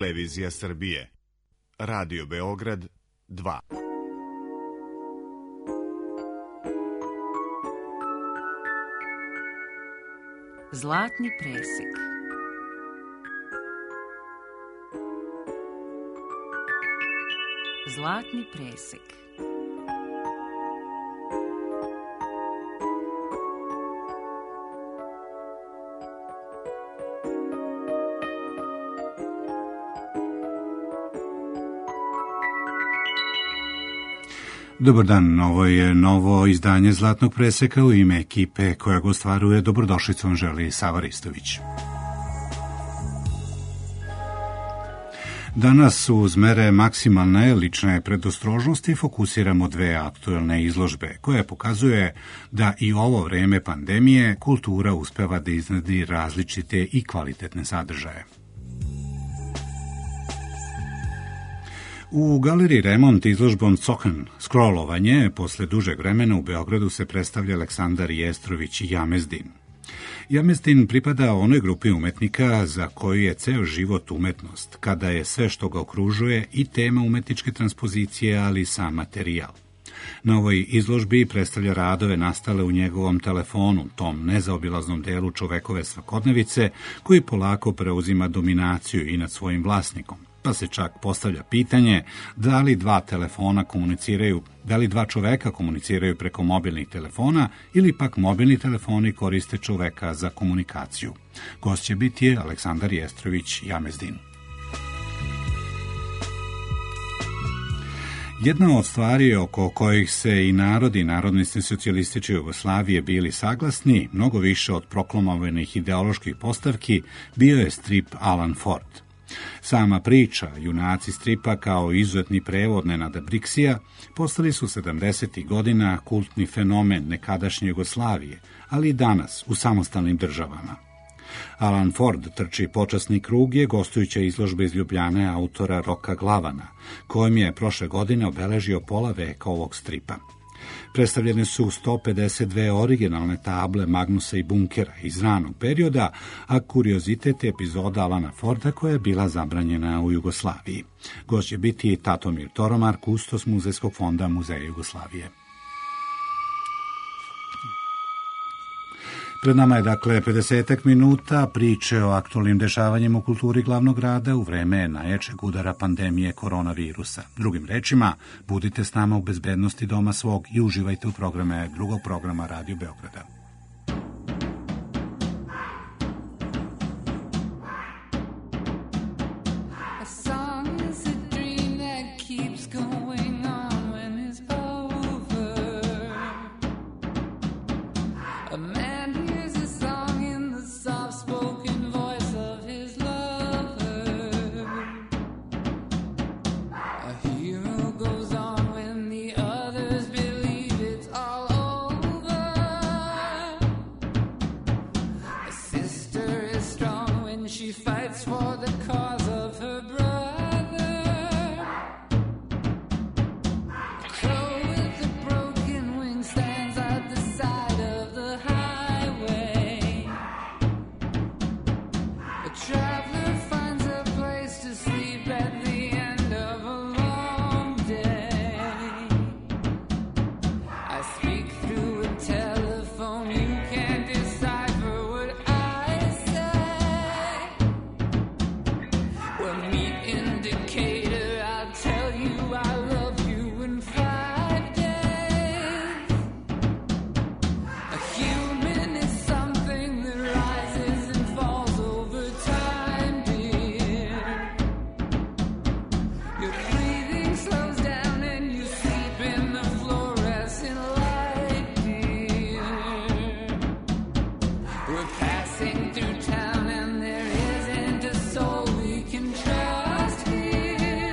Televizija Srbije. Radio Beograd 2. Zlatni presek. Zlatni presek. Dobar dan, ovo je novo izdanje Zlatnog preseka. U ime ekipe koja ga ostvaruje, dobrodošlicu vam želi Sava Ristović. Danas uz mere maksimalne lične predostrožnosti fokusiramo dve aktuelne izložbe, koje pokazuje da i ovo vreme pandemije kultura uspeva da iznedi različite i kvalitetne sadržaje. U galeriji Remont izložbom Zochen scrollovanje posle dužeg vremena u Beogradu se predstavlja Aleksandar Jestrović Jamezdin. Jamezdin pripada onoj grupi umetnika za koju je ceo život umetnost, kada je sve što ga okružuje i tema umetničke transpozicije, ali i sam materijal. Na ovoj izložbi predstavlja radove nastale u njegovom telefonu, tom nezaobilaznom delu čovekove svakodnevice, koji polako preuzima dominaciju i nad svojim vlasnikom. Pa se čak postavlja pitanje da li dva čoveka komuniciraju preko mobilnih telefona ili pak mobilni telefoni koriste čoveka za komunikaciju. Gost će biti Aleksandar Jestrović Jamezdin. Jedna od stvari oko kojih se i narodnosti socijalističke Jugoslavije bili saglasni, mnogo više od proklamovanih ideoloških postavki, bio je strip Alan Ford. Sama priča, junaci stripa kao izuzetni prevod Nenada Briksija, postali su 70. godina kultni fenomen nekadašnje Jugoslavije, ali i danas u samostalnim državama. Alan Ford trči počasni krug je gostujuća izložba iz Ljubljane autora Roka Glavana, kojim je prošle godine obeležio pola veka ovog stripa. Predstavljene su 152 originalne table Magnusa i Bunkera iz ranog perioda, a kuriozitet je epizoda Alana Forda koja je bila zabranjena u Jugoslaviji. Gost će biti Tatomir Toromar, kustos Muzejskog fonda Muzeja Jugoslavije. Pred nama je 50 minuta priče o aktualnim dešavanjima u kulturi glavnog grada u vreme najjačeg udara pandemije koronavirusa. Drugim rečima, budite s nama u bezbednosti doma svog i uživajte u programe drugog programa Radio Beograda. Through town and there isn't a soul we can trust here.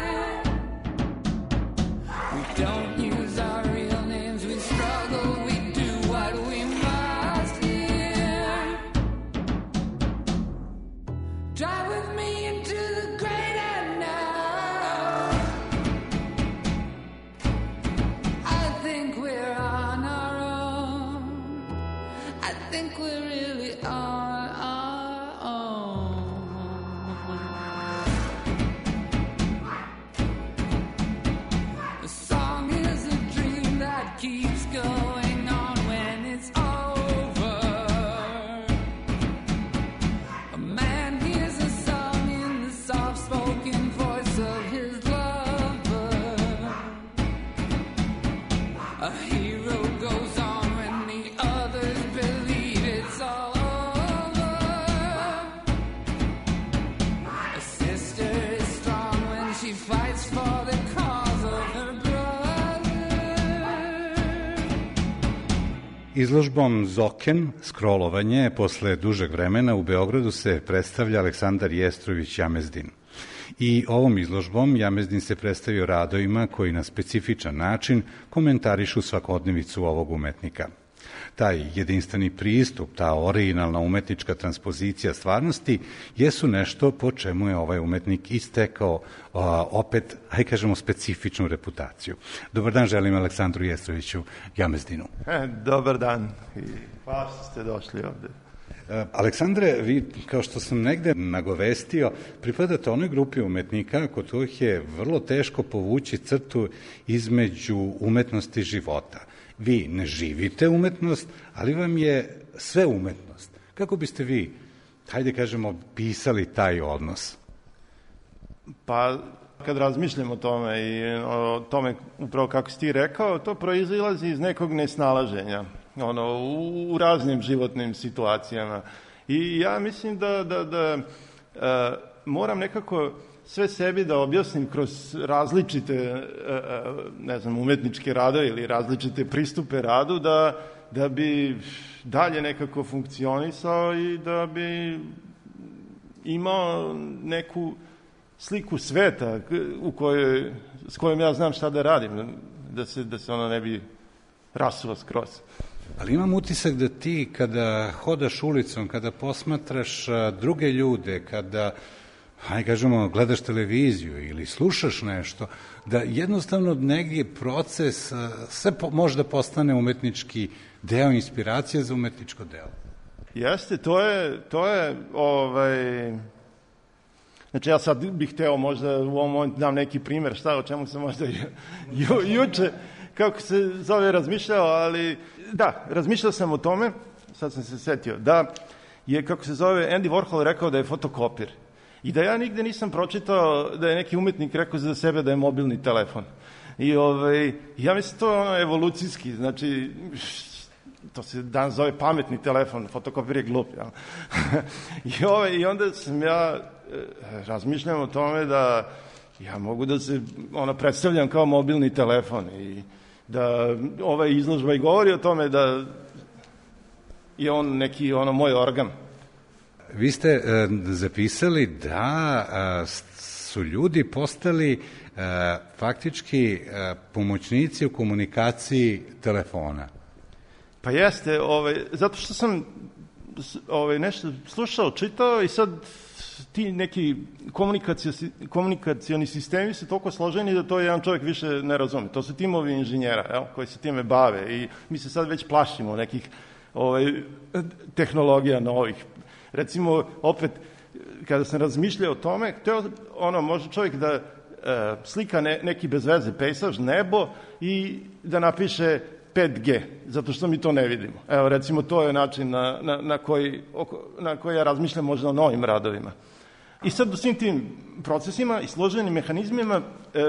soft-spoken voice of his lover. A hero goes on when the others believe it's all over. A sister is strong when she fights for the cause of her brother. Izložbom Zoken, scrollovanje, posle dužeg vremena u Beogradu se predstavlja Aleksandar Jestrović Jamezdin. I ovom izložbom Jamezdin se predstavio radovima koji na specifičan način komentarišu svakodnevicu ovog umetnika. Taj jedinstveni pristup, ta originalna umetnička transpozicija stvarnosti jesu nešto po čemu je ovaj umetnik istekao opet, hajde kažemo, specifičnu reputaciju. Dobar dan, želim Aleksandru Jestroviću Jamezdinu. Dobar dan i hvala što ste došli ovde. Aleksandre, vi, kao što sam negde nagovestio, pripadate onoj grupi umetnika kod kojih je vrlo teško povući crtu između umetnosti i života. Vi ne živite umetnost, ali vam je sve umetnost. Kako biste vi, hajde kažemo, pisali taj odnos? Pa, kad razmišljam o tome i o tome upravo kako si ti rekao, to proizilazi iz nekog nesnalaženja, u raznim životnim situacijama. I ja mislim da moram nekako sve sebi da objasnim kroz različite, umetničke radove ili različite pristupe radu, da bi dalje nekako funkcionisao i da bi imao neku sliku sveta s kojom ja znam šta da radim, da se ono ne bi rasuo skroz. Ali imam utisak da ti kada hodaš ulicom, kada posmatraš druge ljude, kada, hajde kažemo, gledaš televiziju ili slušaš nešto, da jednostavno negdje proces sve može da postane umetnički deo, inspiracije za umetničko delo. Jeste, to je znači ja sad bih hteo možda u ovom momentu dam neki primer o čemu sam možda juče, kako se zove, razmišljao, ali da, razmišljao sam o tome, sad sam se setio, da je, kako se zove, Andy Warhol rekao da je fotokopir. I da ja nigde nisam pročitao da je neki umetnik rekao za sebe da je mobilni telefon. I ja mislim to je evolucijski, znači to se danas zove pametni telefon, fotokopir je glup. Ja? I onda sam ja razmišljam o tome da ja mogu da se predstavljam kao mobilni telefon i da ova izložba i govori o tome da je on neki moj organ. Vi ste zapisali da su ljudi postali faktički pomoćnici u komunikaciji telefona. Pa jeste, zato što sam nešto slušao, čitao i sad ti neki komunikacioni sistemi su toliko složeni da to jedan čovjek više ne razume. To su timovi inženjera koji se time bave i mi se sad već plašimo nekih tehnologija novih. Recimo, opet, kada sam razmišljao o tome, može čovjek da slika neki bez veze pejsaž, nebo i da napiše 5G, zato što mi to ne vidimo. Evo, recimo, to je način na koji ja razmišljam možda o novim radovima. I sad u svim tim procesima i složenim mehanizmima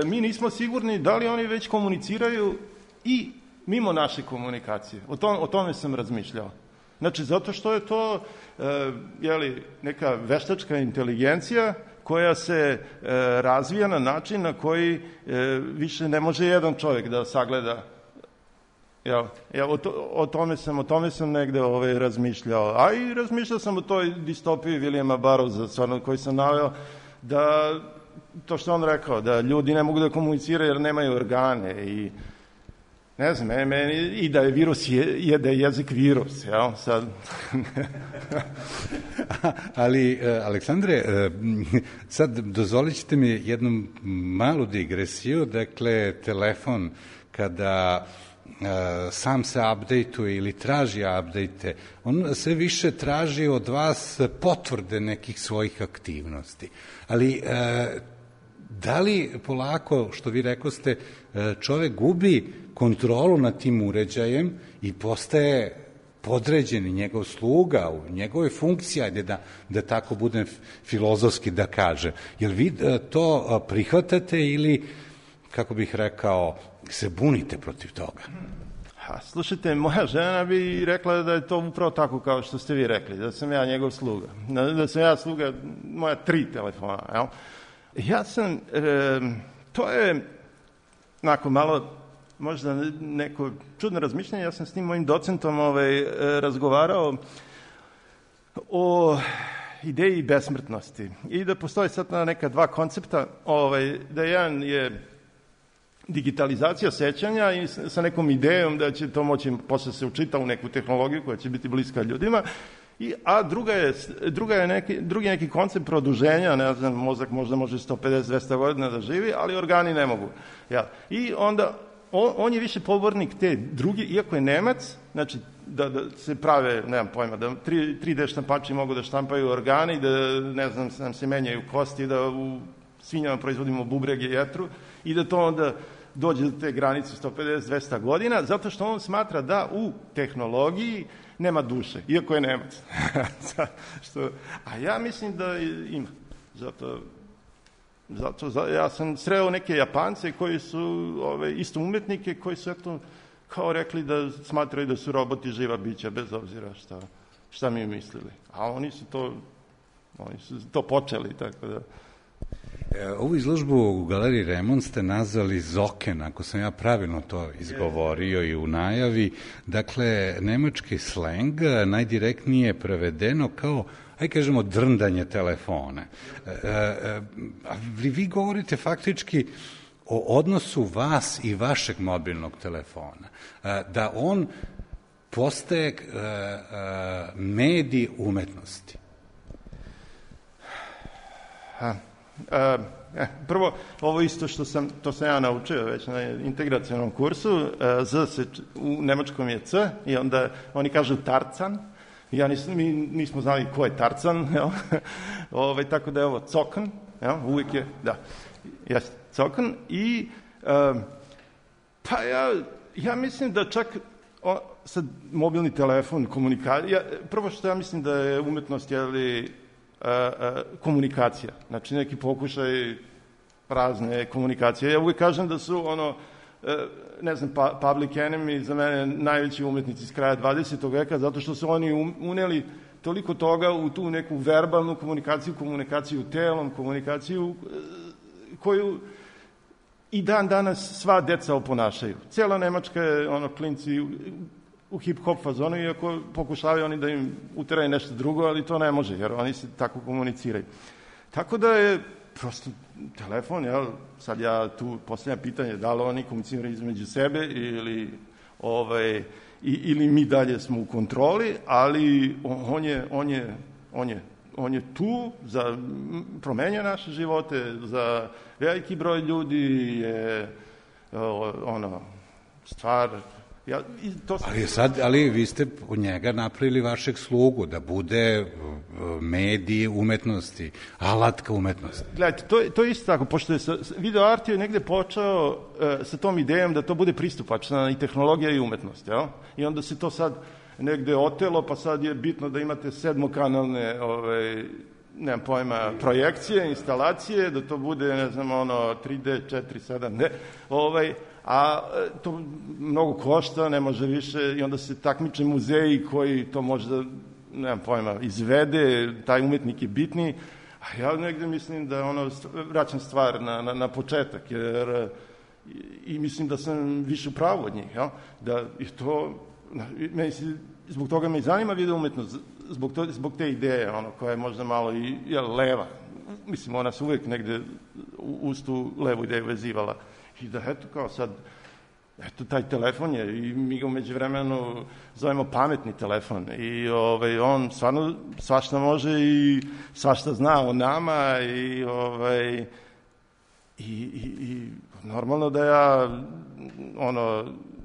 mi nismo sigurni da li oni već komuniciraju i mimo naše komunikacije. O tome sam razmišljao. Znači, zato što je to neka veštačka inteligencija koja se razvija na način na koji više ne može jedan čovjek da sagleda. O tome sam negde razmišljao. A i razmišljao sam o toj distopiji Williama Burroughsa, koji sam naveo, da to što on rekao, da ljudi ne mogu da komuniciraju jer nemaju organe i ne znam, i da je virus da je jezik virus, jel? Sad. Ali, Aleksandre, sad dozvolit ćete mi jednu malu digresiju, dakle, telefon kada sam se update-uje ili traži update-e, on sve više traži od vas potvrde nekih svojih aktivnosti. Ali da li polako, što vi rekoste, čovek gubi kontrolu nad tim uređajem i postaje podređeni, njegov sluga, njegove funkcije, ajde da tako budem filozofski da kažem. Jel vi to prihvatate ili, kako bih rekao, se bunite protiv toga? Slušajte, moja žena bi rekla da je to upravo tako kao što ste vi rekli, da sam ja njegov sluga. Da sam ja sluga moja 3 telefona. Jel? Ja sam, to je onako malo, možda neko čudno razmišljanje, ja sam s tim mojim docentom razgovarao o ideji besmrtnosti i da postoji sad neka 2 koncepta, da jedan je digitalizacija sećanja i sa nekom idejom da će to moći posle se učita u neku tehnologiju koja će biti bliska ljudima, a drugi neki koncept produženja, ne znam, mozak možda može 150-200 godina da živi, ali organi ne mogu. Ja. I onda on je više pobornik te drugi, iako je Nemac, znači da se prave, nemam pojma, da 3D štampači mogu da štampaju organi, da, ne znam, nam se menjaju kosti, da u svinjama proizvodimo bubrege i jetru i da to onda dođe do te granice 150-200 godina, zato što on smatra da u tehnologiji nema duše, iako je Nemac. A ja mislim da ima. Zato ja sam sreo neke Japance koji su isto umetnike, koji su eto kao rekli da smatraju da su roboti živa bića, bez obzira šta mi mislili. A oni su to počeli, tako da... Ovu izložbu u Galeriji Remont ste nazvali Zoken, ako sam ja pravilno to izgovorio i u najavi. Dakle, nemački sleng najdirektnije prevedeno kao, ajde kažemo, drndanje telefona. Vi govorite faktički o odnosu vas i vašeg mobilnog telefona. Da on postaje medij umetnosti. Prvo, ovo isto to sam ja naučio već na integracionom kursu, u nemačkom je C i onda oni kažu Tarzan, mi nismo znali ko je Tarzan, tako da je ovo Zoken, uvijek je, da, Zoken i pa ja mislim da čak sad mobilni telefon, komunikacija, prvo što ja mislim da je umetnost, komunikacija, znači neki pokušaj razne komunikacije. Ja uvijek kažem da su ne znam, Public Enemy za mene najveći umetnici iz kraja 20. veka, zato što su oni uneli toliko toga u tu neku verbalnu komunikaciju telom, komunikaciju koju i dan danas sva deca oponašaju. Cijela Nemačka je klinci u hip-hop fazonu, iako pokušavaju oni da im uteraju nešto drugo, ali to ne može, jer oni se tako komuniciraju. Tako da je prosto telefon, sad ja tu postavljam pitanje da li oni komuniciraju između sebe ili mi dalje smo u kontroli, ali on je tu za promenja naše živote, za veliki broj ljudi je stvar... Ali vi ste od njega napravili vašeg slugu, da bude medij umetnosti, alatka umetnosti. Gledajte, to je isto tako, pošto je video art je negde počeo sa tom idejom da to bude pristupačna i tehnologija i umetnost, jel? I onda se to sad negde otelo, pa sad je bitno da imate 7-kanalne nemam pojma, projekcije, instalacije, da to bude, ne znam, 3D, 4, 7D, a to mnogo košta, ne može više, i onda se takmiče muzeji koji to možda, nemam pojma, izvede, taj umetnik je bitniji, a ja negde mislim da vraćam stvar na početak, jer i mislim da sam više u pravu od njih, da je to, zbog toga me i zanima video umetnost, zbog te ideje, koja je možda malo i leva, mislim, ona se uvijek negde uz tu levu ideju vezivala. I da, eto, kao sad, eto, taj telefon je, i mi ga umeđu vremenu zovemo pametni telefon, i on stvarno svašta može i svašta zna o nama, i normalno da ja,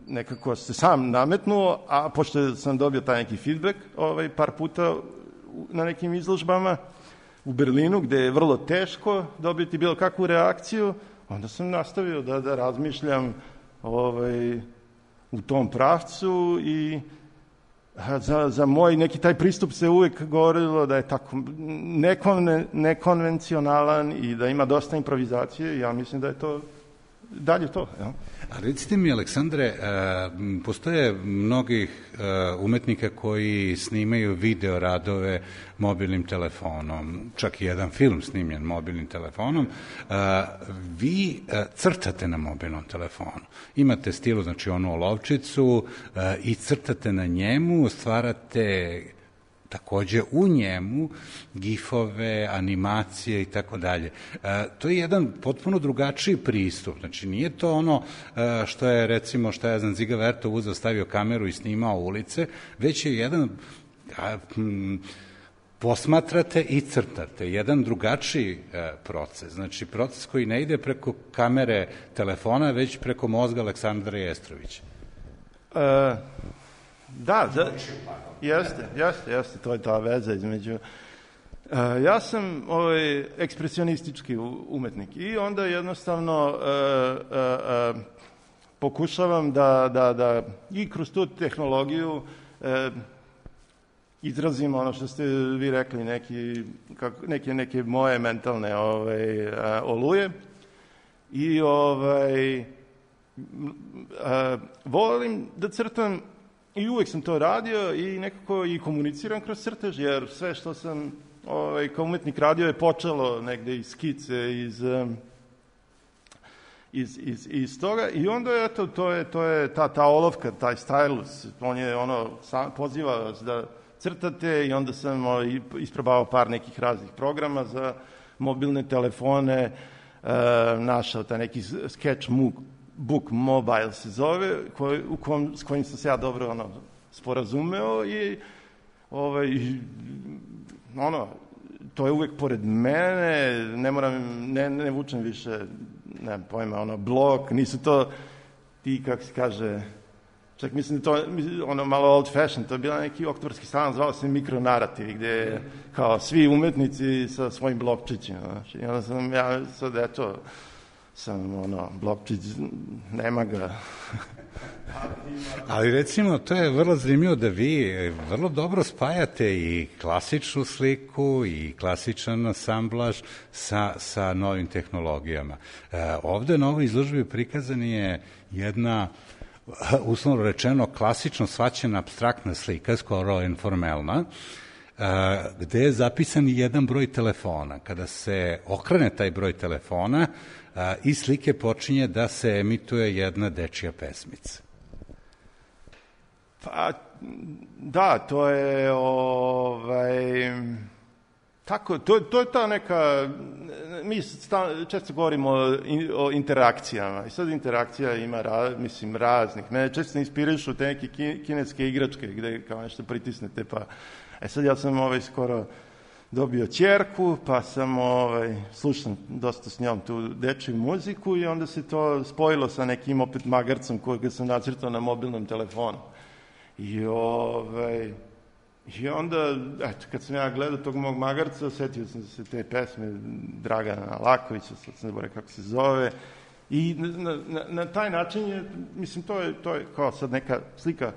nekako se sam nametnuo, a pošto sam dobio taj neki feedback par puta na nekim izložbama u Berlinu, gde je vrlo teško dobiti bilo kakvu reakciju, onda sam nastavio da razmišljam u tom pravcu za moj neki taj pristup se uvijek govorilo da je tako nekonvencionalan i da ima dosta improvizacije. Ja mislim da je to dalje to. Ja. A recite mi, Aleksandre, postoje mnogih umetnika koji snimaju video radove mobilnim telefonom, čak i jedan film snimljen mobilnim telefonom. Vi crtate na mobilnom telefonu. Imate stilu, znači onu olovčicu i crtate na njemu, stvarate takođe u njemu gifove, animacije i tako dalje. To je jedan potpuno drugačiji pristup. Znači, nije to ono što je, recimo, što je Ziga Vertov uzeo, stavio kameru i snimao ulice, već je jedan posmatrate i crtate. Jedan drugačiji proces. Znači, proces koji ne ide preko kamere telefona, već preko mozga Aleksandra Jestrovića. Da, jeste, to je ta veza između. Ja sam ekspresionistički umetnik i onda jednostavno pokušavam da i kroz tu tehnologiju izrazim ono što ste vi rekli, neke moje mentalne oluje i volim da crtam. I uvijek sam to radio i nekako i komuniciram kroz crtež, jer sve što sam kao umetnik radio je počelo negde iz skice, iz toga. I onda, eto, to je ta olovka, taj stylus, on je poziva vas da crtate i onda sam isprobavao par nekih raznih programa za mobilne telefone, našao taj neki Sketchbook Mobile se zove, s kojim sam se ja dobro sporazumeo i to je uvek pored mene, ne vučem više, nemam pojma, blok, nisu to ti, kako se kaže, čak mislim da to malo old fashion, to je bila neki oktobarski salon, zvao se mikronarativi, gde je kao svi umetnici sa svojim blokčićima, znači, i onda sam ja sad, eto, blokčić, nema ga. Ali recimo, to je vrlo zanimljivo da vi vrlo dobro spajate i klasičnu sliku i klasičan asamblaž sa novim tehnologijama. Ovde na ovoj izložbi prikazan je jedna, uslovno rečeno, klasično shvaćena apstraktna slika, skoro informalna, gde je zapisan jedan broj telefona. Kada se okrene taj broj telefona, iz slike počinje da se emituje jedna dečija pesmica. Pa, da, to je tako, to je ta neka, mi često govorimo o interakcijama i sad interakcija ima, raznih, mene često inspirišu te neke kineske igračke gde kao nešto pritisnete, pa, sad ja sam skoro dobio ćerku, pa sam slušam dosta s njom tu dečiju muziku i onda se to spojilo sa nekim opet magarcom kojega sam nacrtao na mobilnom telefonu. I onda, eto, kad sam ja gledao tog mog magarca, setio sam se te pesme Dragana Lakovića, sad sam zaboravio kako se zove, i na taj način je, mislim, to je kao sad neka slika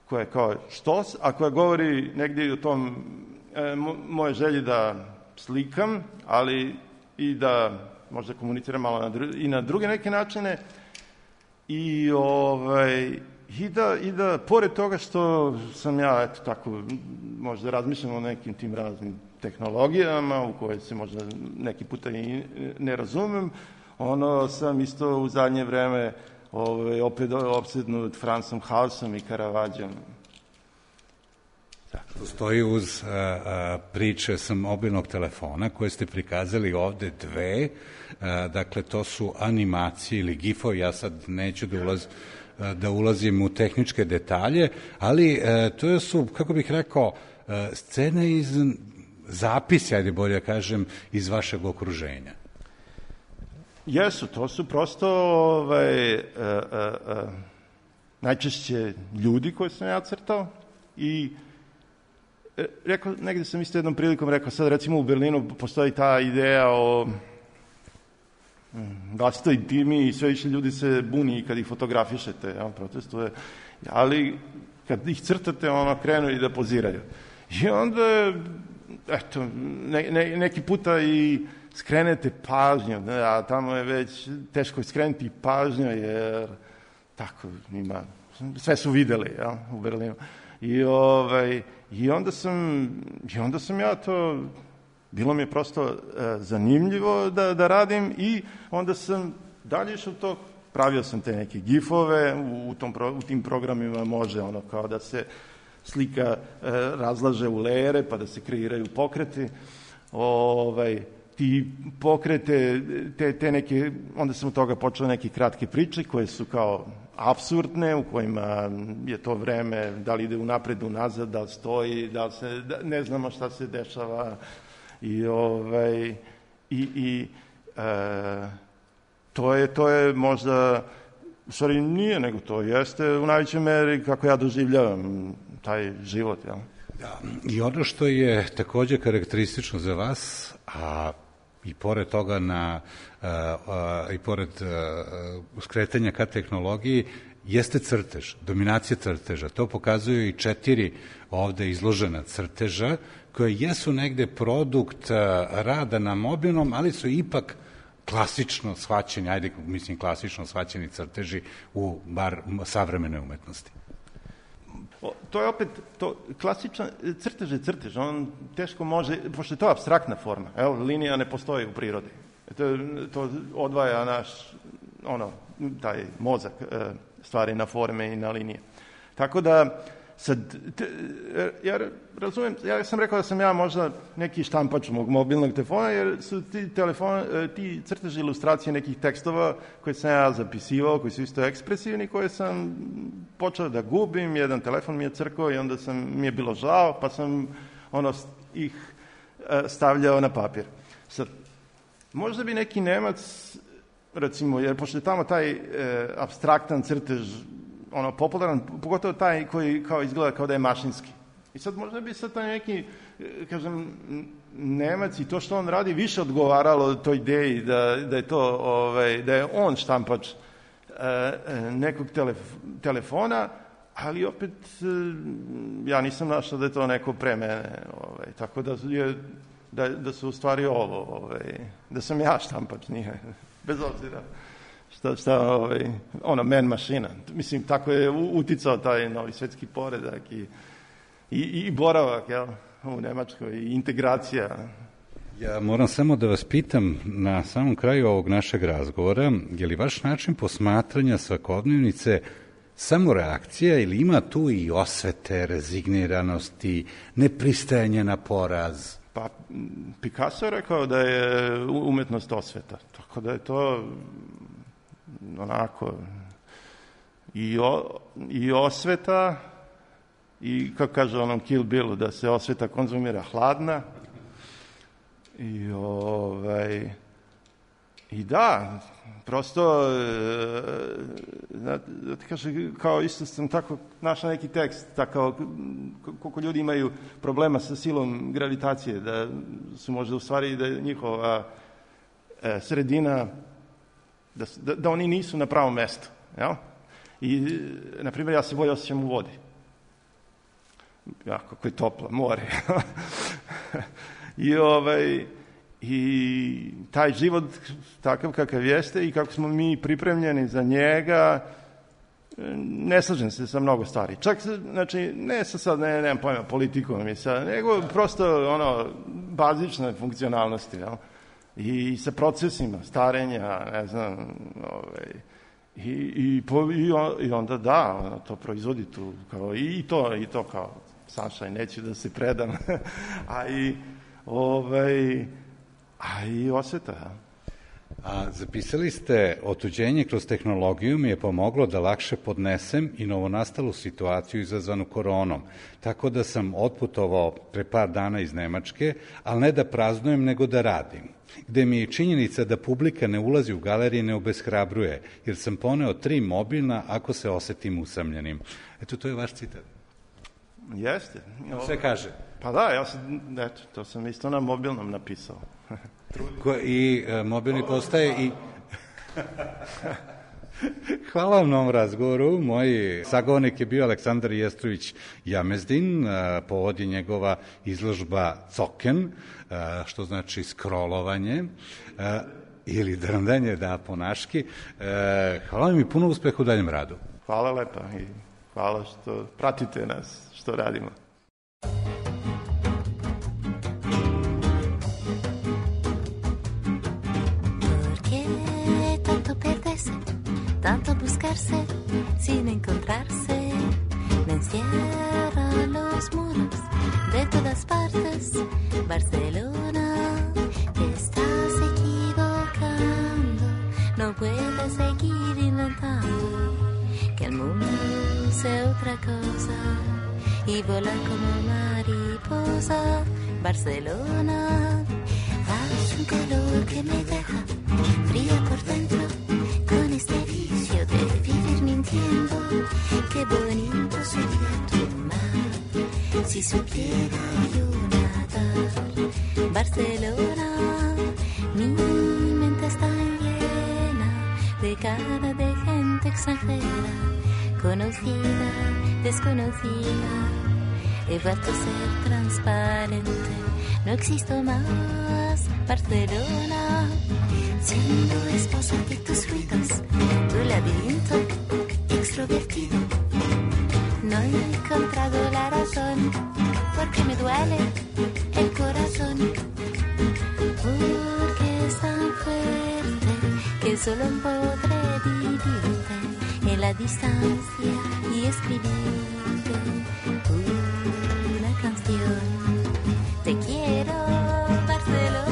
koja je kao štos, a koja govori negdje o tom moje želji da slikam, ali i da možda komuniciram malo i na druge neke načine i da pored toga što sam ja, eto tako, možda razmišljam o nekim tim raznim tehnologijama u koje se možda neki puta i ne razumem, sam isto u zadnje vreme opet opsednut Fransom Hausom i Caravaggom. Postoji uz priče sa mobilnog telefona koje ste prikazali ovde dve, dakle to su animacije ili gifovi, ja sad neću da ulazim u tehničke detalje, ali to su, kako bih rekao, scene iz zapisa, ajde bolje kažem, iz vašeg okruženja. Jesu, to su prosto najčešće ljudi koje sam ja crtao i negde sam isto jednom prilikom rekao, sad recimo u Berlinu postoji ta ideja o vlastitoj intimi i sve više ljudi se buni kad ih fotografišete, protestuje, ali kad ih crtate, krenu i da poziraju. I onda, eto, neki puta i skrenete pažnju, a tamo je već teško skrenuti pažnju, jer tako ima, sve su videli, ja, u Berlinu. I onda sam ja to, bilo mi je prosto zanimljivo da radim i onda sam dalje išao to, pravio sam te neke gifove, u tim programima može kao da se slika razlaže u lejere pa da se kreiraju pokreti, ti pokrete, te neke, onda sam od toga počeo neke kratke priče koje su kao apsurdne, u kojima je to vreme, da li ide unapred, unazad, da li stoji, da ne znamo šta se dešava to je možda, u stvari nije, nego to jeste u najvećoj meri kako ja doživljavam taj život, jel? Da, i ono što je takođe karakteristično za vas, a i pored toga i pored skretanja ka tehnologiji, jeste crtež, dominacija crteža. To pokazuju i 4 ovde izložena crteža, koje jesu negde produkt rada na mobilnom, ali su ipak klasično shvaćeni, klasično shvaćeni crteži u bar savremene umetnosti. To je opet, klasičan crtež je crtež, on teško može, pošto je to apstraktna forma, evo, linija ne postoji u prirodi. To odvaja naš, taj mozak stvari na forme i na linije. Tako da, sad, ja razumijem, ja sam rekao da sam ja možda neki štampač mog mobilnog telefona, jer su ti crteži ilustracije nekih tekstova koje sam ja zapisivao, koji su isto ekspresivni, koje sam počeo da gubim, jedan telefon mi je crkao i onda mi je bilo žao, pa sam ih stavljao na papir. Sad, možda bi neki Nemac, recimo, jer pošto je tamo taj apstraktan crtež popularan, pogotovo taj koji kao izgleda kao da je mašinski. I sad možda bi sad taj neki, kažem, Nemac i to što on radi više odgovaralo toj ideji da je to, da je on štampač nekog telefona, ali opet ja nisam našao da je to neko pre mene. Tako da su u stvari da sam ja štampač, nije, bez obzira. Man mašina. Mislim, tako je uticao taj novi svetski poredak i boravak, jel, u Nemačkoj, i integracija. Ja moram samo da vas pitam na samom kraju ovog našeg razgovora, je li vaš način posmatranja svakodnevnice samo reakcija ili ima tu i osvete, rezigniranosti, nepristajanje na poraz? Pa, Picasso je rekao da je umetnost osveta, tako da je to onako i osveta i, kako kaže onom Kill Billu, da se osveta konzumira hladna i da, prosto da ti kaže, kao isto sam tako našao neki tekst, tako koliko ljudi imaju problema sa silom gravitacije, da su možda u stvari da je njihova sredina, da oni nisu na pravom mestu, jel? I, na primjer, ja se bolje osjećam u vodi. Kako je toplo, more. I taj život takav kakav jeste i kako smo mi pripremljeni za njega, ne slažem se sa mnogo stvari. Čak, znači, ne sa sad, nemam pojma, politikom i sa, nego prosto, bazične funkcionalnosti, jel? I sa procesima starenja, ne znam, i onda da, to proizvodi tu, kao, i to kao, Saša, neću da se predam, a i osveta. A zapisali ste, otuđenje kroz tehnologiju mi je pomoglo da lakše podnesem i novonastalu situaciju izazvanu koronom, tako da sam otputovao pre par dana iz Nemačke, ali ne da praznujem, nego da radim, gde mi je činjenica da publika ne ulazi u galerije ne obeshrabruje, jer sam poneo 3 mobilna ako se osetim usamljenim. Eto, to je vaš citat. Jeste. Sve kaže. Pa da, to sam isto na mobilnom napisao. I mobilni postaje i... Hvala vam na ovom razgovoru. Moj sagovornik je bio Aleksandar Jestrović Jamezdin. Povod je njegova izložba Coken, što znači scrollovanje ili drndanje, da, po naški. Hvala vam i puno uspeha u daljem radu. Hvala lepa i hvala što pratite nas, što radimo. Tanto buscarse sin encontrarse, me encierran los muros de todas partes. Barcelona, te estás equivocando, no puedes seguir inventando que el mundo sea otra cosa y volar como mariposa. Barcelona, hay un calor que me deja fría por dentro. Con este vicio de vivir mintiendo, qué bonito sería tu mar si supiera yo nadar. Barcelona, mi mente está llena de cara de gente extranjera, conocida, desconocida. He vuelto a ser transparente, no existo más. Barcelona, siendo esposa de tus ruidos, tu laberinto extrovertido. No he encontrado la razón, porque me duele el corazón, porque es tan fuerte que solo podré vivirte en la distancia y escribirte una canción. Te quiero, Barcelona.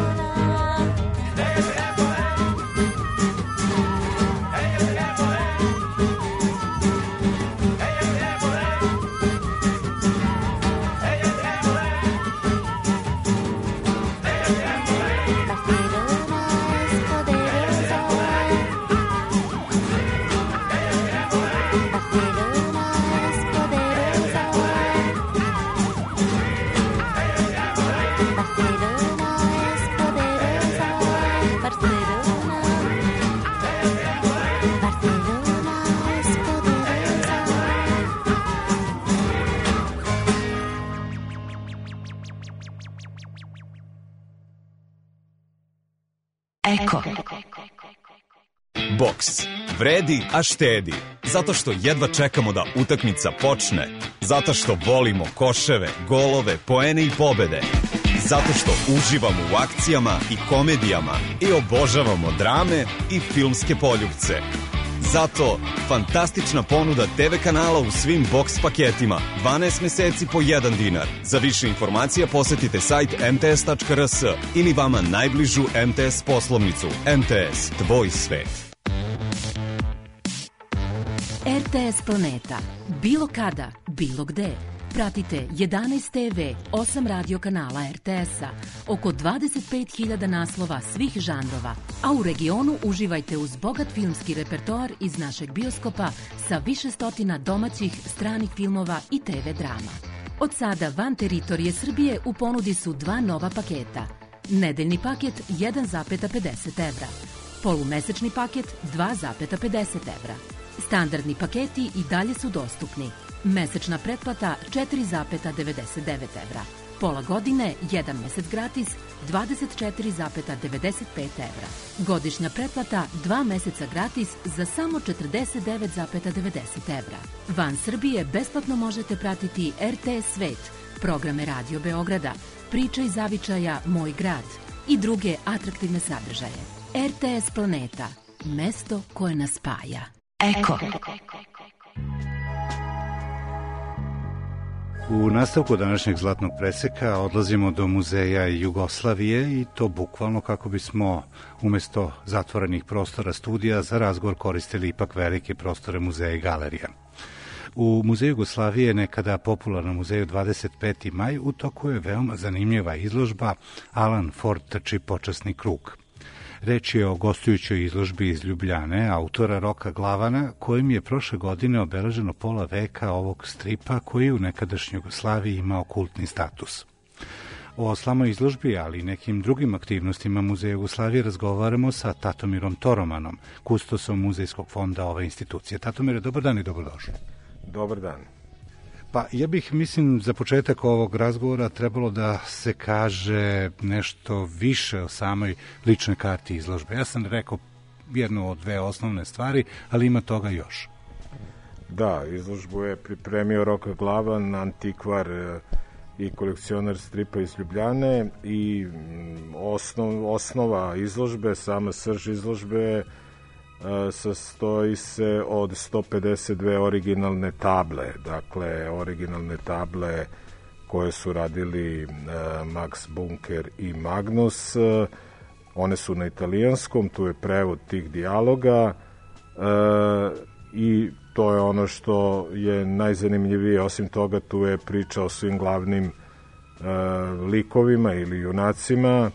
Eko. Boks. Vredi, a štedi. Zato što jedva čekamo da utakmica počne. Zato što volimo koševe, golove, poene i pobede. Zato što uživamo u akcijama i komedijama i obožavamo drame i filmske poljupce. Zato fantastična ponuda TV kanala u svim boks paketima. 12 meseci po 1 dinar. Za više informacija posetite sajt mts.rs ili vama najbližu MTS poslovnicu. MTS, tvoj svet. RTS Planeta. Bilo kada, bilo gde. Pratite 11 TV, 8 radio kanala RTS-a, oko 25.000 naslova svih žanrova, a u regionu uživajte uz bogat filmski repertoar iz našeg bioskopa sa više stotina domaćih, stranih filmova i TV drama. Od sada van teritorije Srbije u ponudi su 2 nova paketa. Nedeljni paket 1,50 evra, polumesečni paket 2,50 evra. Standardni paketi i dalje su dostupni. Mesečna pretplata 4,99 evra. Pola godine, 1 mesec gratis, 24,95 evra. Godišnja pretplata 2 meseca gratis za samo 49,90 evra. Van Srbije besplatno možete pratiti RTS Svet, programe Radio Beograda, Priča iz zavičaja Moj grad i druge atraktivne sadržaje. RTS Planeta, mesto koje nas spaja. Eko. U nastavku današnjeg Zlatnog preseka odlazimo do Muzeja Jugoslavije i to bukvalno kako bismo umesto zatvorenih prostora studija za razgovor koristili ipak velike prostore muzeja i galerija. U Muzeju Jugoslavije, nekada popularnom muzeju 25. maj, u toku je veoma zanimljiva izložba Alan Ford trči počasni krug. Reč je o gostujućoj izložbi iz Ljubljane, autora Roka Glavana, kojim je prošle godine obeleženo pola veka ovog stripa koji u nekadašnjoj Jugoslaviji imao kultni status. O slamoj izložbi, ali i nekim drugim aktivnostima Muzeja Jugoslavije razgovaramo sa Tatomirom Toromanom, kustosom Muzejskog fonda ove institucije. Tatomire, dobar dan i dobrodošli. Dobar dan. Pa ja bih, mislim, za početak ovog razgovora trebalo da se kaže nešto više o samoj ličnoj karti izložbe. Ja sam rekao jednu od dve osnovne stvari, ali ima toga još. Da, izložbu je pripremio Roka Glavan, antikvar i kolekcionar stripa iz Ljubljane i osnova izložbe, sama srž izložbe sastoji se od 152 originalne table, dakle originalne table koje su radili Max Bunker i Magnus. One su na italijanskom, tu je prevod tih dijaloga i to je ono što je najzanimljivije. Osim toga, tu je priča o svim glavnim likovima ili junacima.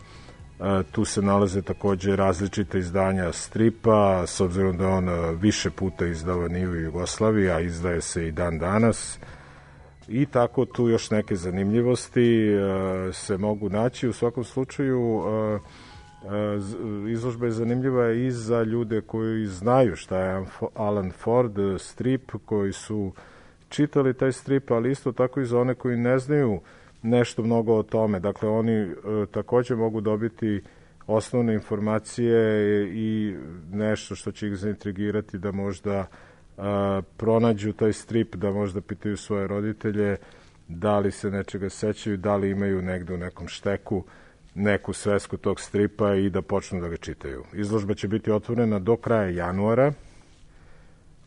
Tu se nalaze takođe različite izdanja stripa, s obzirom da je on više puta izdavan i u Jugoslaviji, a izdaje se i dan danas. I tako tu još neke zanimljivosti se mogu naći. U svakom slučaju, izložba je zanimljiva i za ljude koji znaju šta je Alan Ford strip, koji su čitali taj strip, ali isto tako i za one koji ne znaju nešto mnogo o tome. Dakle, oni takođe mogu dobiti osnovne informacije i nešto što će ih zaintrigirati da možda pronađu taj strip, da možda pitaju svoje roditelje da li se nečega sećaju, da li imaju negde u nekom šteku neku svesku tog stripa i da počnu da ga čitaju. Izložba će biti otvorena do kraja januara.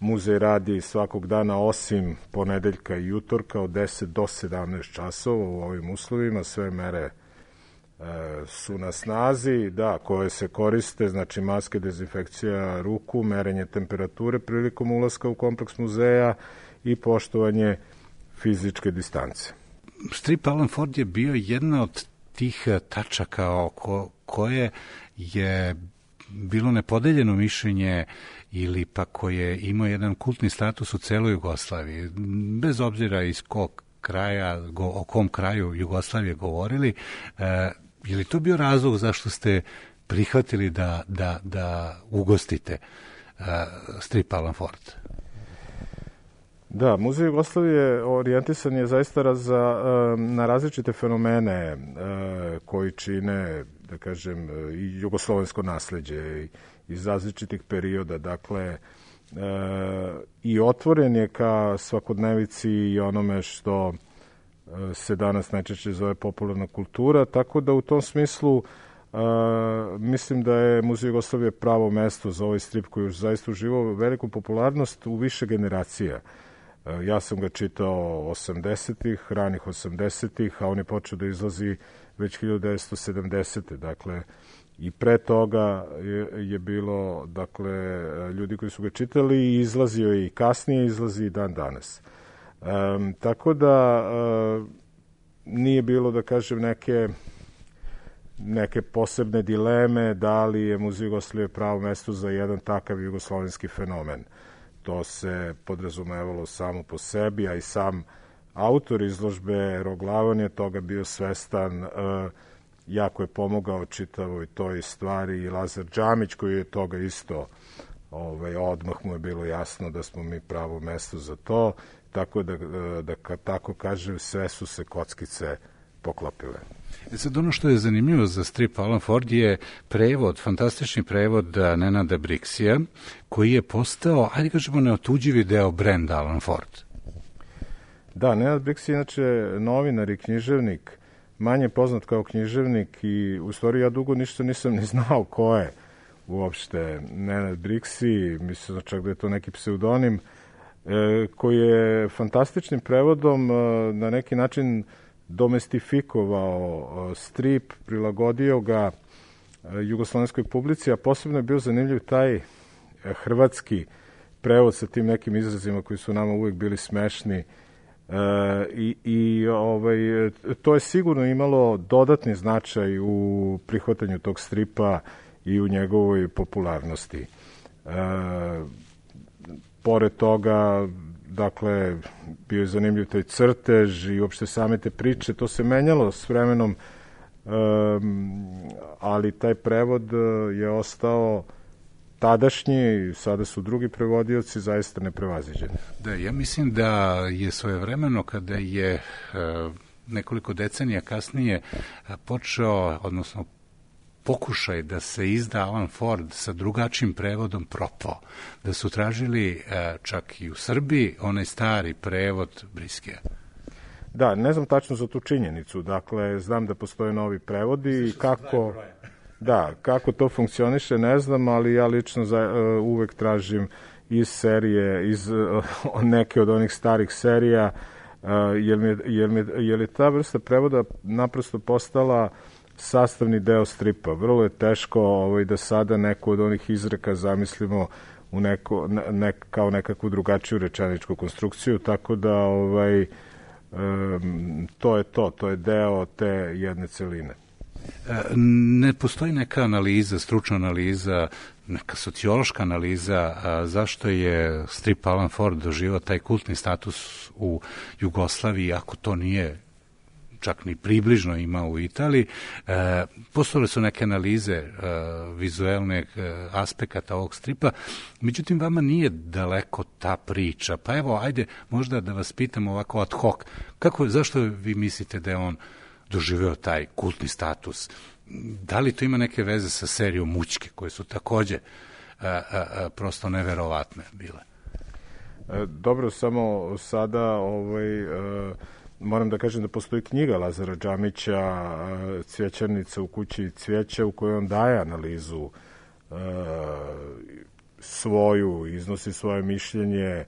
Muzej radi svakog dana osim ponedeljka i utorka od 10 do 17 časova u ovim uslovima. Sve mere su na snazi, da, koje se koriste, znači maske, dezinfekcija ruku, merenje temperature prilikom ulaska u kompleks muzeja i poštovanje fizičke distance. Strip Alan Ford je bio jedna od tih tačaka oko koje je bilo nepodeljeno mišljenje ili pa koje imao jedan kultni status u celoj Jugoslaviji. Bez obzira iz kog kraja, o kom kraju Jugoslavije govorili, je li to bio razlog zašto ste prihvatili da ugostite strip Alan Ford? Da, Muzej Jugoslavije orijentisan je zaista na različite fenomene koji čine, da kažem, i jugoslovensko nasleđe iz različitih perioda. Dakle, i otvoren je ka svakodnevici i onome što se danas najčešće zove popularna kultura, tako da u tom smislu mislim da je Muzej Jugoslavije pravo mesto za ovaj strip koji je zaista uživao veliku popularnost u više generacija. Ja sam ga čitao 80-ih, ranih 80-ih, a on je počeo da izlazi već 1970. Dakle, i pre toga je bilo, dakle, ljudi koji su ga čitali i izlazio je i kasnije, izlazi i dan danas. Tako da nije bilo, da kažem, neke posebne dileme da li je Muzej Jugoslavije pravo mesto za jedan takav jugoslovenski fenomen. To se podrazumevalo samo po sebi, a i sam autor izložbe Roglavan je toga bio svestan, jako je pomogao čitavoj toj stvari i Lazar Džamić koji je toga isto, odmah mu je bilo jasno da smo mi pravo mesto za to, tako da kad tako kažem, sve su se kockice poklopile. Sad ono što je zanimljivo za strip Alan Ford je prevod, fantastični prevod Nenada Brixija, koji je postao, ajde kažemo, neotuđivi deo brenda Alan Ford. Da, Nenad Brix je inače novinar i književnik, manje poznat kao književnik i u stvari ja dugo ništa nisam ni znao ko je uopšte Nenad Brixi, mislim čak da je to neki pseudonim, koji je fantastičnim prevodom na neki način domestifikovao strip, prilagodio ga jugoslovenskoj publici, a posebno je bio zanimljiv taj hrvatski prevod sa tim nekim izrazima koji su nama uvek bili smešni to je sigurno imalo dodatni značaj u prihvatanju tog stripa i u njegovoj popularnosti. Pored toga, dakle, bio je zanimljiv taj crtež i uopšte same te priče, to se menjalo s vremenom ali taj prevod je ostao tadašnji, sada su drugi prevodioci zaista neprevaziđeni. Da, ja mislim da je svojevremeno kada je nekoliko decenija kasnije počeo, odnosno pokušaj da se izda Alan Ford sa drugačijim prevodom propao, da su tražili čak i u Srbiji onaj stari prevod Briskeja. Da, ne znam tačno za tu činjenicu, dakle, znam da postoje novi prevodi i kako to funkcioniše, ne znam, ali ja lično uvek tražim iz serije, iz neke od onih starih serija, jer je ta vrsta prevoda naprosto postala sastavni deo stripa. Vrlo je teško da sada neku od onih izreka zamislimo u kao nekakvu drugačiju rečeničku konstrukciju, tako da to je deo te jedne celine. Ne postoji neka analiza, stručna analiza, neka sociološka analiza zašto je strip Alan Ford doživao taj kultni status u Jugoslaviji, ako to nije čak ni približno imao u Italiji. Postojale su neke analize vizuelnih aspekata ovog stripa, međutim vama nije daleko ta priča. Pa evo, ajde možda da vas pitam ovako ad hoc, zašto vi mislite da je on doživeo taj kultni status? Da li to ima neke veze sa serijom Mućke, koje su takođe prosto neverovatne bile? Dobro, samo sada moram da kažem da postoji knjiga Lazara Džamića, Cvjećarnica u kući cvijeća, u kojoj on daje analizu svoju, iznosi svoje mišljenje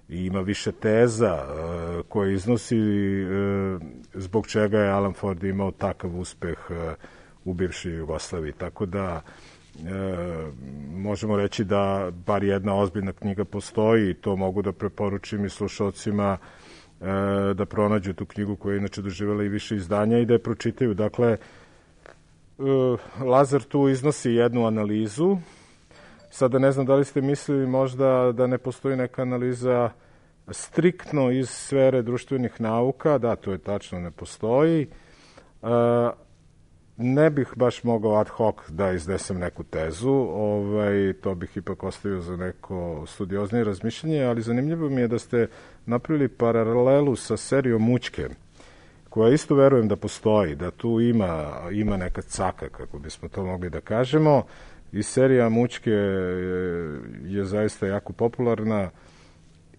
i ima više teza koje iznosi zbog čega je Alan Ford imao takav uspeh u bivšoj Jugoslaviji. Tako da možemo reći da bar jedna ozbiljna knjiga postoji i to mogu da preporučim i slušalcima da pronađu tu knjigu koja je inače doživjela i više izdanja i da je pročitaju. Dakle, Lazar tu iznosi jednu analizu. Sada ne znam da li ste mislili možda da ne postoji neka analiza striktno iz sfere društvenih nauka. Da, to je tačno, ne postoji. Ne bih baš mogao ad hoc da iznesem neku tezu, to bih ipak ostavio za neko studioznije razmišljanje, ali zanimljivo mi je da ste napravili paralelu sa serijom Mućke, koja isto verujem da postoji, da tu ima neka caka, kako bismo to mogli da kažemo, i serija Mućke je zaista jako popularna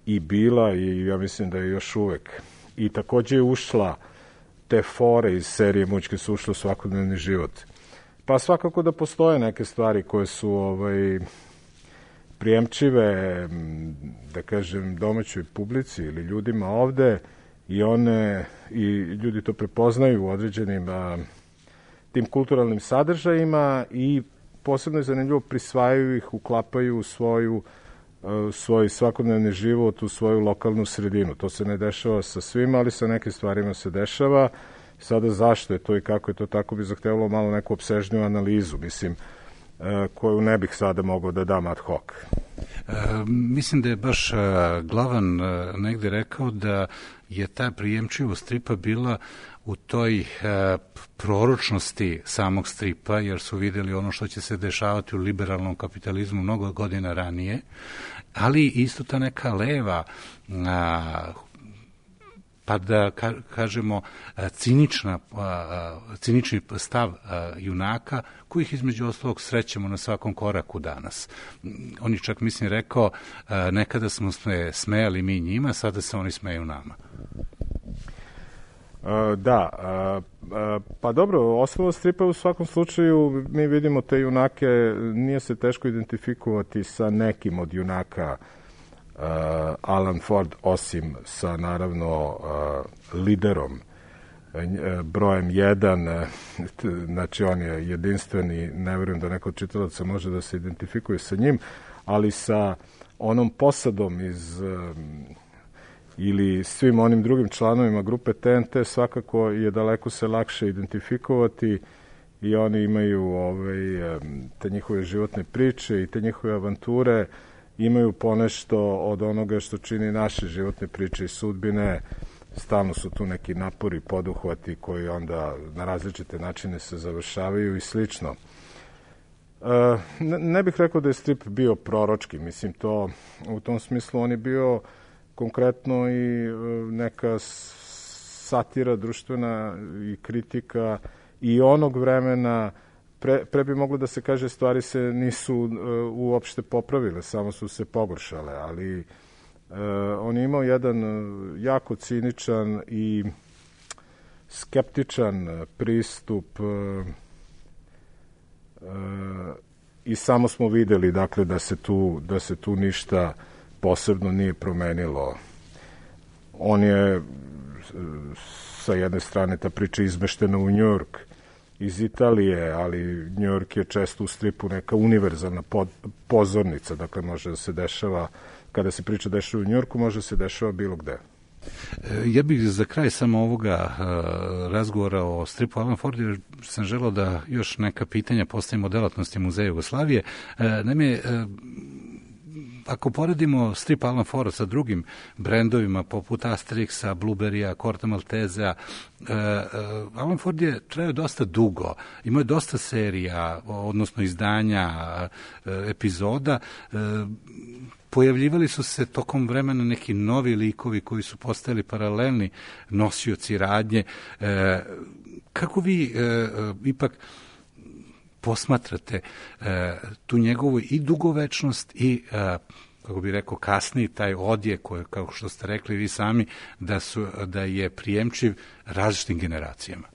i bila, i ja mislim da je još uvek. I takođe je ušla, te fore iz serije Mućke su ušle u svakodnevni život. Pa svakako da postoje neke stvari koje su prijemčive, da kažem, domaćoj publici ili ljudima ovde, i ljudi to prepoznaju u određenim tim kulturalnim sadržajima i posebno je zanimljivo, prisvajaju ih, uklapaju u svoj svakodnevni život, u svoju lokalnu sredinu. To se ne dešava sa svima, ali sa nekim stvarima se dešava. Sada zašto je to i kako je to tako bi zahtevalo malo neku opsežniju analizu, mislim, koju ne bih sada mogao da dam ad hoc. Mislim da je baš Glavan negde rekao da je ta prijemčivost stripa bila u toj proročnosti samog stripa, jer su videli ono što će se dešavati u liberalnom kapitalizmu mnogo godina ranije, ali isto ta neka leva, pa da kažemo cinični stav junaka, kojih između ostalog srećemo na svakom koraku danas. On je čak, mislim, rekao, nekada smo se smejali mi njima, sada se oni smeju nama. Pa dobro, ostalo stripa u svakom slučaju, mi vidimo te junake, nije se teško identifikovati sa nekim od junaka Alan Ford, osim sa, naravno, liderom, brojem 1, znači on je jedinstveni, ne verujem da neko od čitalaca može da se identifikuje sa njim, ali sa onom posadom ili svim onim drugim članovima grupe TNT svakako je daleko se lakše identifikovati i oni imaju te njihove životne priče i te njihove avanture, imaju ponešto od onoga što čini naše životne priče i sudbine stalno su tu neki napori, poduhvati koji onda na različite načine se završavaju i slično. Ne bih rekao da je strip bio proročki, mislim to, u tom smislu on je bio konkretno i neka satira društvena i kritika i onog vremena. Pre bi moglo da se kaže stvari se nisu uopšte popravile, samo su se pogoršale, ali on je imao jedan jako ciničan i skeptičan pristup i samo smo videli dakle da se tu ništa posebno nije promenilo. On je sa jedne strane ta priča izmeštena u Njujork iz Italije, ali Njujork je često u stripu neka univerzalna pozornica, dakle može da se dešava, kada se priča dešava u Njujorku, može da se dešava bilo gde. Ja bih za kraj samo ovoga razgovora o stripu Alan Ford, jer sam želeo da još neka pitanja postavimo o delatnosti Muzeja Jugoslavije. Naime, ako poredimo strip Alan Ford sa drugim brendovima poput Asterixa, Blueberrya, Corto Maltesea, Alan Ford je trajao dosta dugo, imao je dosta serija, odnosno izdanja, epizoda. Pojavljivali su se tokom vremena neki novi likovi koji su postajali paralelni nosioci radnje. Kako vi ipak posmatrate tu njegovu i dugovečnost i, kako bi rekao, kasniji taj odjek koji, kao što ste rekli vi sami, da je prijemčiv različitim generacijama?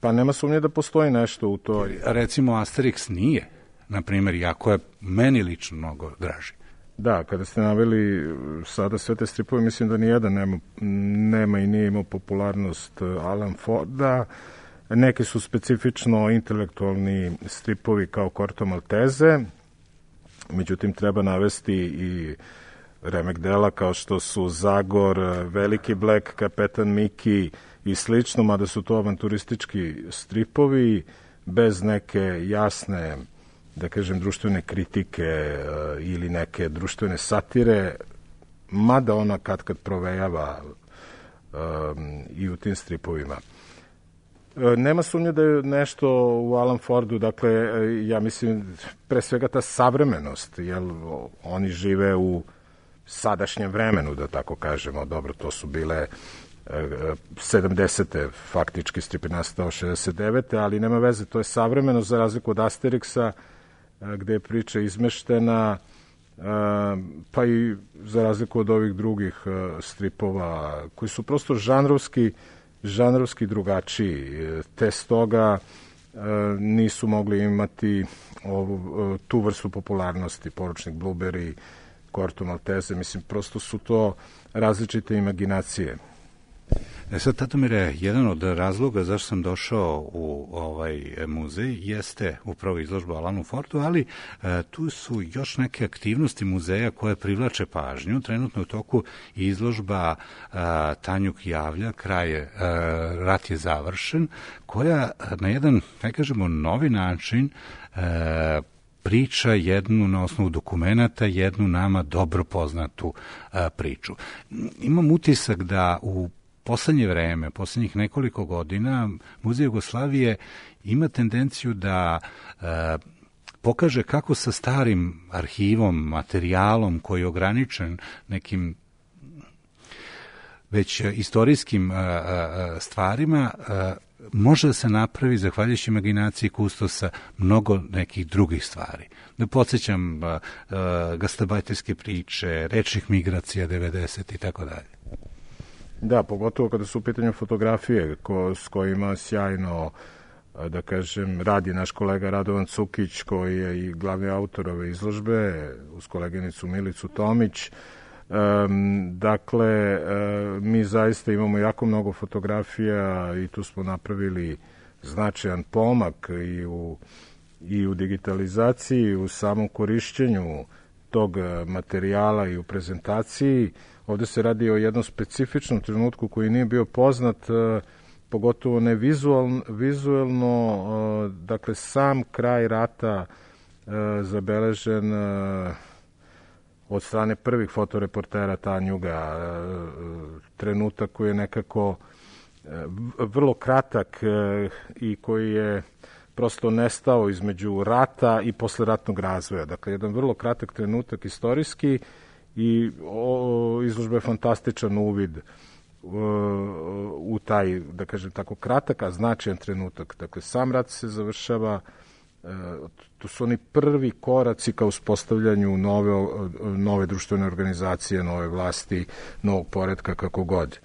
Pa nema sumnje da postoji nešto u toj. Recimo Asterix nije, na primjer, jako je meni lično mnogo draži. Da, kada ste naveli sada sve te stripove, mislim da nijedan nema i nije imao popularnost Alan Forda. Neki su specifično intelektualni stripovi kao Corto Maltese, međutim treba navesti i remek dela kao što su Zagor, Veliki Black, Kapetan Miki i slično, mada su to avanturistički stripovi bez neke jasne, da kažem, društvene kritike ili neke društvene satire, mada ona kad provejava i u tim stripovima. Nema sumnje da je nešto u Alan Fordu, dakle, ja mislim, pre svega ta savremenost, jer oni žive u sadašnjem vremenu, da tako kažemo. Dobro, to su bile 70. faktički, strip je nastao 69. ali nema veze, to je savremenost za razliku od Asterixa, gde je priča izmeštena, pa i za razliku od ovih drugih stripova koji su prosto žanrovski drugačiji, te stoga nisu mogli imati tu vrstu popularnosti, Poručnik Blueberry, Corto Maltese, mislim, prosto su to različite imaginacije. Sad, Tatomire, jedan od razloga zašto sam došao u ovaj muzej jeste upravo izložba Alanu Fordu, ali tu su još neke aktivnosti muzeja koje privlače pažnju. Trenutno je u toku izložba Tanjug javlja, rat je završen, koja na jedan, ne kažemo, novi način priča jednu na osnovu dokumenata, jednu nama dobro poznatu priču. Imam utisak da u poslednje vreme, poslednjih nekoliko godina, Muzej Jugoslavije ima tendenciju da pokaže kako sa starim arhivom, materijalom koji je ograničen nekim već istorijskim stvarima, može da se napravi, zahvaljujući imaginaciji kustosa, mnogo nekih drugih stvari. Da podsjećam gastarbajterske priče, rečnih migracija 90 i tako dalje. Da, pogotovo kada su u pitanju fotografije s kojima sjajno, da kažem, radi naš kolega Radovan Cukić, koji je i glavni autor ove izložbe, uz koleginicu Milicu Tomić. Dakle, mi zaista imamo jako mnogo fotografija i tu smo napravili značajan pomak i u digitalizaciji, i u samom korišćenju tog materijala i u prezentaciji. Ovde se radi o jednom specifičnom trenutku koji nije bio poznat, pogotovo ne vizuelno, dakle sam kraj rata zabeležen od strane prvih fotoreportera Tanjuga, trenutak koji je nekako vrlo kratak i koji je prosto nestao između rata i posleratnog razvoja. Dakle, jedan vrlo kratak trenutak istorijski i izložba je fantastičan uvid u taj, da kažem tako, kratak, a značajan trenutak. Dakle, sam rat se završava, to su oni prvi koraci ka uspostavljanju nove društvene organizacije, nove vlasti, novog poretka, kako god.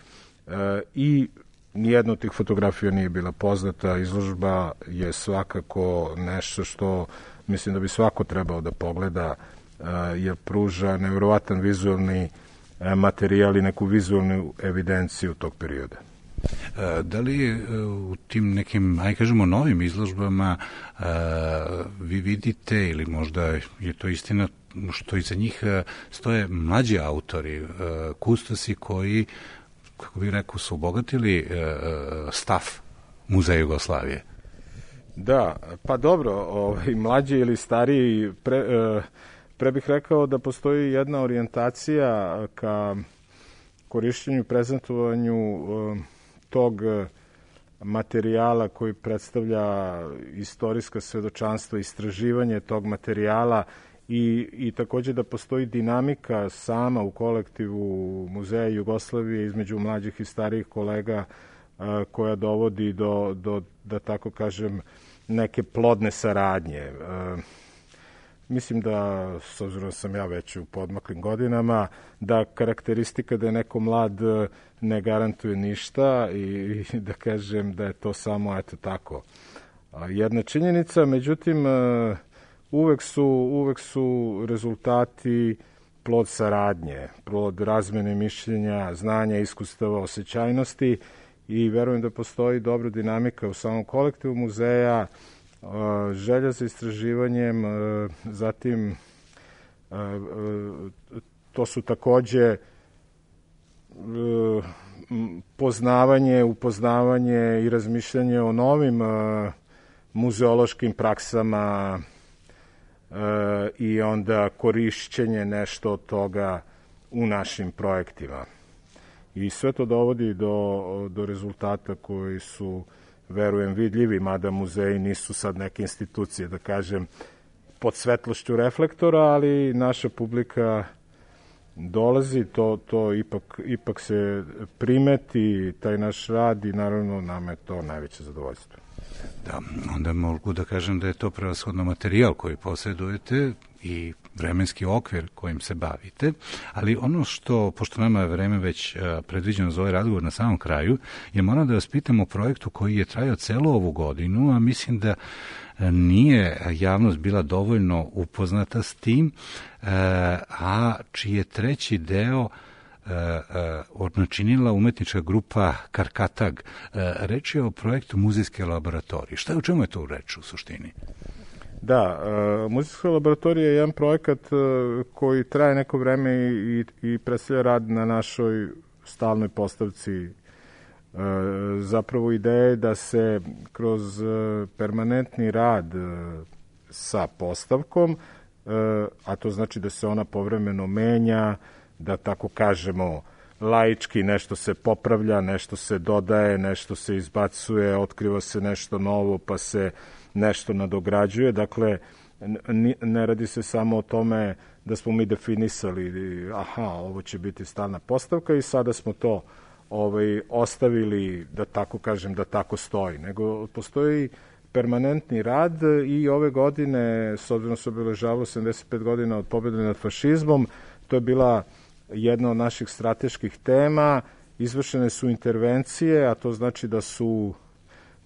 I nijedna od tih fotografija nije bila poznata. Izložba je svakako nešto što mislim da bi svako trebao da pogleda, jer pruža nevjerovatan vizualni materijal i neku vizualnu evidenciju tog perioda. Da li u tim nekim, aj kažemo, novim izložbama vi vidite, ili možda je to istina, što iza njih stoje mlađi autori, kustosi koji, kako bih rekao, su obogatili stav Muzeja Jugoslavije? Da, pa dobro, mlađi ili stariji, pre bih rekao da postoji jedna orijentacija ka korišćenju, prezentovanju tog materijala koji predstavlja istorijska svedočanstva, istraživanje tog materijala i takođe da postoji dinamika sama u kolektivu Muzeja Jugoslavije između mlađih i starijih kolega koja dovodi do da tako kažem, neke plodne saradnje. Mislim da, s obzirom da sam ja već u podmaklim godinama, da karakteristika da je neko mlad ne garantuje ništa i da kažem da je to samo, eto tako, jedna činjenica. Međutim, uvek su rezultati plod saradnje, plod razmene mišljenja, znanja, iskustava, osjećajnosti i verujem da postoji dobra dinamika u samom kolektivu muzeja, želja za istraživanjem, zatim to su takođe poznavanje, upoznavanje i razmišljanje o novim muzeološkim praksama i onda korišćenje nešto od toga u našim projektima. I sve to dovodi do rezultata koji su, verujem, vidljivi, mada muzeji nisu sad neke institucije, da kažem, pod svetlošću reflektora, ali naša publika dolazi, to ipak se primeti, taj naš rad i naravno nama je to najveće zadovoljstvo. Da, onda mogu da kažem da je to prevashodno materijal koji posjedujete i vremenski okvir kojim se bavite, ali ono što, pošto nama je vreme već predviđeno za ovaj razgovor na samom kraju, je moram da vas pitam o projektu koji je trajao celu ovu godinu, a mislim da nije javnost bila dovoljno upoznata s tim, a čiji je treći deo načinila umetnička grupa Karkatag. Reč je o projektu muzejske laboratorije. Šta je, u čemu je to reč u suštini? Da, muzejska laboratorija je jedan projekat koji traje neko vreme i predstavlja rad na našoj stalnoj postavci. Zapravo ideja je da se kroz permanentni rad sa postavkom, a to znači da se ona povremeno menja, da tako kažemo laički nešto se popravlja, nešto se dodaje, nešto se izbacuje, otkriva se nešto novo, pa se nešto nadograđuje. Dakle, ne radi se samo o tome da smo mi definisali, ovo će biti stalna postavka i sada smo to ostavili, da tako kažem, da tako stoji, nego postoji permanentni rad i ove godine, s obzirom se obeležavalo 75 godina od pobjede nad fašizmom, to je bila jedna od naših strateških tema, izvršene su intervencije, a to znači da su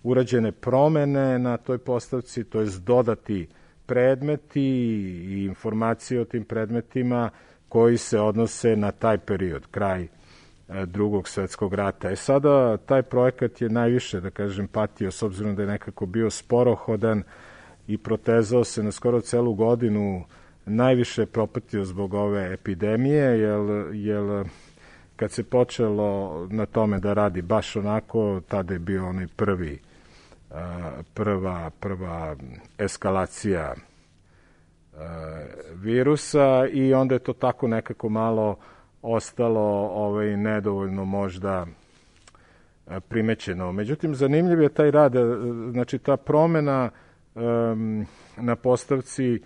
urađene promene na toj postavci, to je dodati predmeti i informacije o tim predmetima koji se odnose na taj period, kraj Drugog svetskog rata. Sada taj projekat je najviše, da kažem, patio, s obzirom da je nekako bio sporohodan i protezao se na skoro celu godinu, najviše je propatio zbog ove epidemije, jer kad se počelo na tome da radi baš onako, tada je bio onaj prva eskalacija virusa i onda je to tako nekako malo ostalo nedovoljno možda primećeno. Međutim, zanimljiv je taj rad, znači ta promena na postavci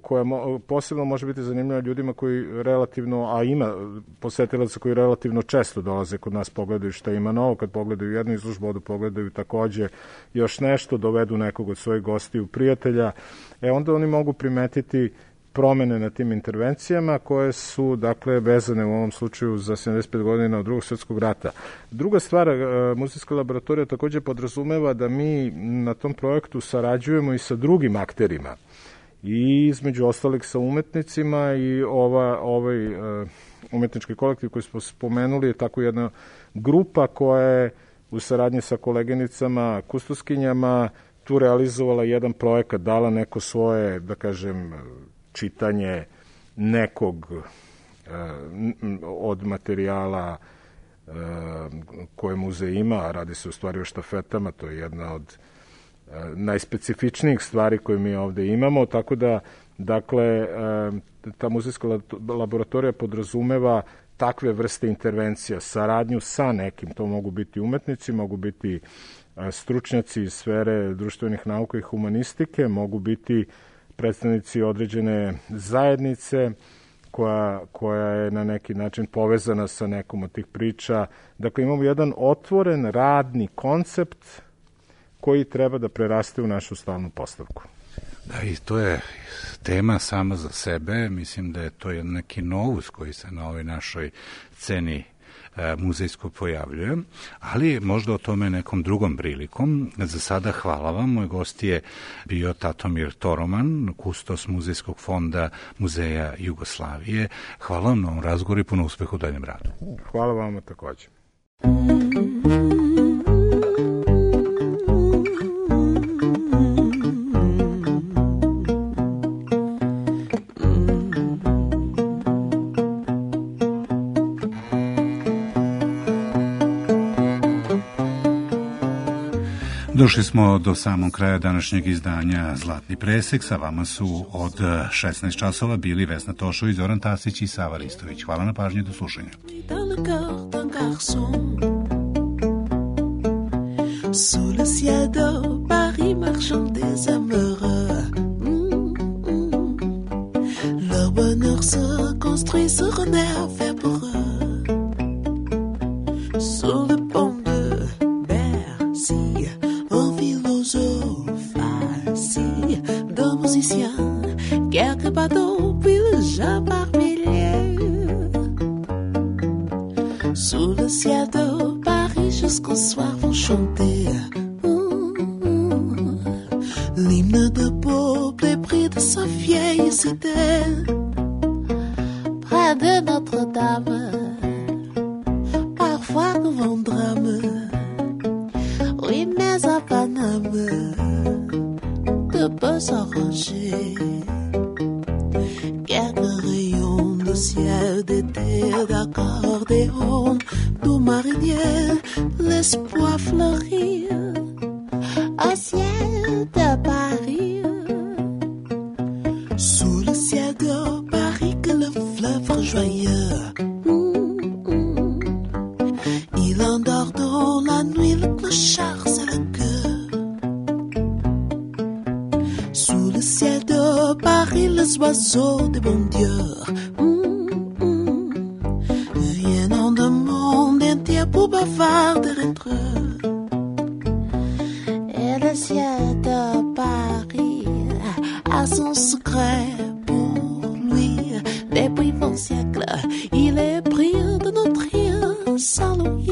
koja posebno može biti zanimljiva ljudima koji relativno, a ima posetilaca koji relativno često dolaze kod nas, pogledaju šta ima novo, kad pogledaju jednu izložbu, odu pogledaju takođe još nešto, dovedu nekog od svojih gostiju, prijatelja, onda oni mogu primetiti promene na tim intervencijama koje su, dakle, vezane u ovom slučaju za 75 godina od Drugog svjetskog rata. Druga stvar, muzejska laboratorija takođe podrazumeva da mi na tom projektu sarađujemo i sa drugim akterima i između ostalih sa umetnicima i ovaj umetnički kolektiv koji smo spomenuli je tako jedna grupa koja je u saradnji sa koleginicama, kustoskinjama tu realizovala jedan projekat, dala neko svoje, da kažem, čitanje nekog od materijala koje muzej ima, radi se u stvari o štafetama, to je jedna od najspecifičnijih stvari koje mi ovde imamo, tako da, dakle, ta muzejska laboratorija podrazumeva takve vrste intervencija, saradnju sa nekim, to mogu biti umetnici, mogu biti stručnjaci iz sfere društvenih nauka i humanistike, mogu biti predstavnici određene zajednice koja je na neki način povezana sa nekom od tih priča. Dakle, imamo jedan otvoren radni koncept koji treba da preraste u našu stalnu postavku. Da, i to je tema sama za sebe. Mislim da je to neki novus koji se na ovoj našoj sceni muzejsko pojavljuje, ali možda o tome nekom drugom prilikom. Za sada hvala vam. Moj gost je bio Tatomir Toroman, kustos Muzejskog fonda Muzeja Jugoslavije. Hvala vam na ovom razgovoru i puno uspeha u daljem radu. Hvala vam takođe. Došli smo do samog kraja današnjeg izdanja Zlatni presek. Sa vama su od 16 časova bili Vesna Tošović, Zoran Tasić i Sava Ristović. Hvala na pažnji, do slušanja. Sous le ciel de Paris marchent des amoureux. Leur bonheur se construit sur un air fait pour eux. Sur le pont de Bercy, un philosophe assis, deux musiciens, quelques bateaux, puis le gens par milliers. Sous le ciel de Paris jusqu'au soir vont chanter l'hymne de peuple épris de sa vieille cité. Près de Notre-Dame, parfois nous vont drame. Oui, mais à Paname, tout peut s'arranger. Quelques rayons de ciel d'été, d'accordéon, du marinier, l'espoir fleurit au ciel de Paris. Sous le ciel de Paris que le fleuve rejoigneux. Il endort dans la nuit le clochard c'est le cœur. Sous le ciel de Paris les oiseaux des bons dieux viennent du monde entier pour bavarder entre eux. Et le ciel de Paris a son secret pour lui. Depuis 20 siècles, il est brillant de notre île sans l'ouïe.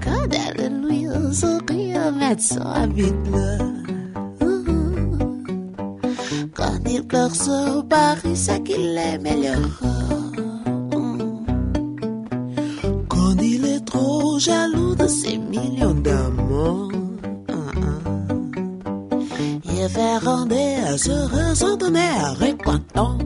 Quand elle lui sourit, médecin habite-le. Quand il pleure sur Paris, c'est qu'il est meilleur. Quand il est trop jaloux de ses millions d'amours, il fait rendre à se ressentir récontent.